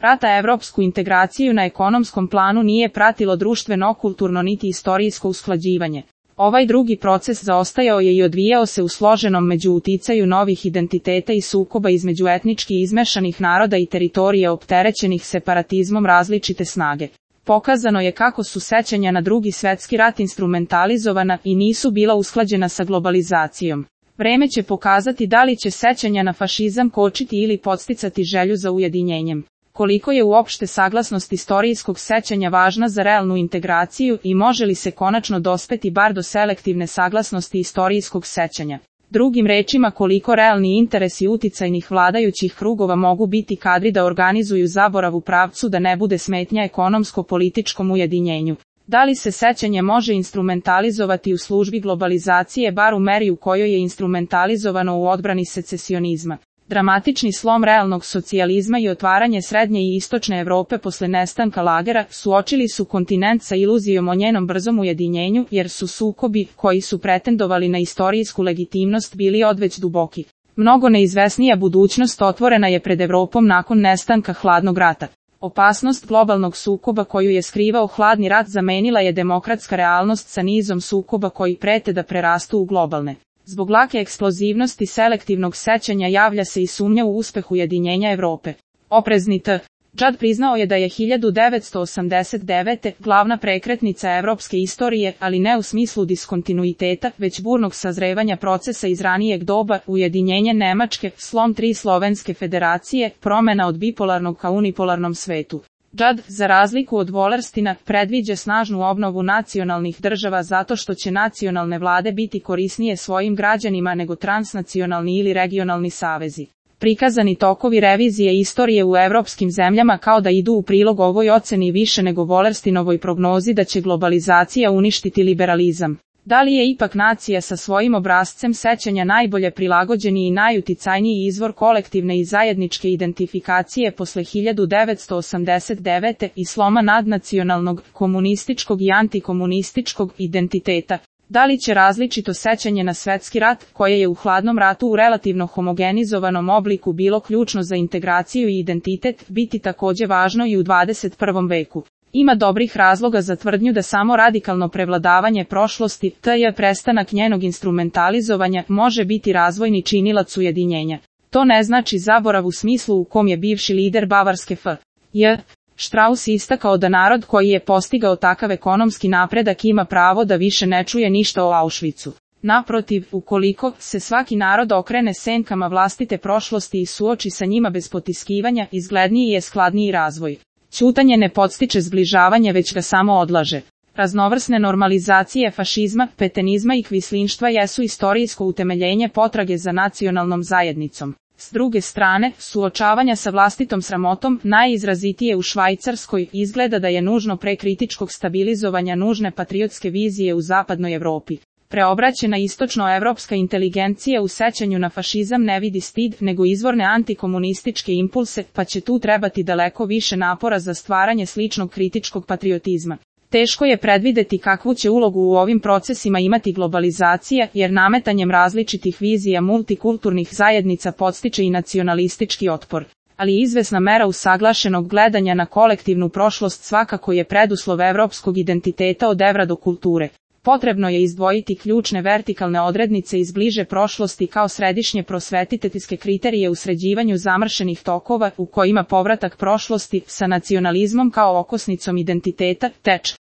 Rata evropsku integraciju na ekonomskom planu nije pratilo društveno, kulturno niti istorijsko usklađivanje. Ovaj drugi proces zaostajao je i odvijao se u složenom međuuticaju novih identiteta i sukoba između etnički izmešanih naroda i teritorija opterećenih separatizmom različite snage. Pokazano je kako su sećanja na Drugi svjetski rat instrumentalizovana i nisu bila usklađena sa globalizacijom. Vreme će pokazati da li će sećanja na fašizam kočiti ili podsticati želju za ujedinjenjem. Koliko je uopšte saglasnost istorijskog sećanja važna za realnu integraciju i može li se konačno dospeti bar do selektivne saglasnosti istorijskog sećanja. Drugim rečima, koliko realni interesi uticajnih vladajućih krugova mogu biti kadri da organizuju zaborav u pravcu da ne bude smetnja ekonomsko-političkom ujedinjenju. Da li se sećanje može instrumentalizovati u službi globalizacije bar u meri u kojoj je instrumentalizovano u odbrani secesionizma? Dramatični slom realnog socijalizma i otvaranje srednje i istočne Evrope posle nestanka lagera suočili su kontinent sa iluzijom o njenom brzom ujedinjenju, jer su sukobi, koji su pretendovali na istorijsku legitimnost, bili odveć duboki. Mnogo neizvesnija budućnost otvorena je pred Evropom nakon nestanka hladnog rata. Opasnost globalnog sukoba koju je skrivao hladni rat zamenila je demokratska realnost sa nizom sukoba koji prete da prerastu u globalne. Zbog lake eksplozivnosti selektivnog sećanja javlja se i sumnja u uspeh ujedinjenja Evrope. Oprezni Judd priznao je da je 1989. glavna prekretnica evropske istorije, ali ne u smislu diskontinuiteta, već burnog sazrevanja procesa iz ranijeg doba, ujedinjenje Nemačke, slom 3 slovenske federacije, promena od bipolarnog ka unipolarnom svetu. Judd, za razliku od Wallerstina, predviđa snažnu obnovu nacionalnih država zato što će nacionalne vlade biti korisnije svojim građanima nego transnacionalni ili regionalni savezi. Prikazani tokovi revizije istorije u evropskim zemljama kao da idu u prilog ovoj oceni više nego Wallerstinovoj prognozi da će globalizacija uništiti liberalizam. Da li je ipak nacija sa svojim obrascem sećanja najbolje prilagođeni i najuticajniji izvor kolektivne i zajedničke identifikacije posle 1989. i sloma nadnacionalnog, komunističkog i antikomunističkog identiteta? Da li će različito sećanje na svetski rat, koje je u hladnom ratu u relativno homogenizovanom obliku bilo ključno za integraciju i identitet, biti takođe važno i u 21. veku? Ima dobrih razloga za tvrdnju da samo radikalno prevladavanje prošlosti, tj. prestanak njenog instrumentalizovanja, može biti razvojni činilac ujedinjenja. To ne znači zaborav u smislu u kom je bivši lider Bavarske F.J. Strauss istakao da narod koji je postigao takav ekonomski napredak ima pravo da više ne čuje ništa o Auschwitzu. Naprotiv, ukoliko se svaki narod okrene senkama vlastite prošlosti i suoči sa njima bez potiskivanja, izgledniji je skladniji razvoj. Ćutanje ne podstiče zbližavanje, već ga samo odlaže. Raznovrsne normalizacije fašizma, petenizma i kvislinštva jesu istorijsko utemeljenje potrage za nacionalnom zajednicom. S druge strane, suočavanja sa vlastitom sramotom, najizrazitije u Švajcarskoj, izgleda da je nužno pre kritičkog stabilizovanja nužne patriotske vizije u zapadnoj Evropi. Preobraćena istočnoevropska inteligencija u sećanju na fašizam ne vidi stid, nego izvorne antikomunističke impulse, pa će tu trebati daleko više napora za stvaranje sličnog kritičkog patriotizma. Teško je predvideti kakvu će ulogu u ovim procesima imati globalizacija, jer nametanjem različitih vizija multikulturnih zajednica podstiče i nacionalistički otpor. Ali izvesna mera usaglašenog gledanja na kolektivnu prošlost svakako je preduslov evropskog identiteta od evra do kulture. Potrebno je izdvojiti ključne vertikalne odrednice iz bliže prošlosti kao središnje prosvetiteljske kriterije u sređivanju zamršenih tokova, u kojima povratak prošlosti sa nacionalizmom kao okosnicom identiteta teč.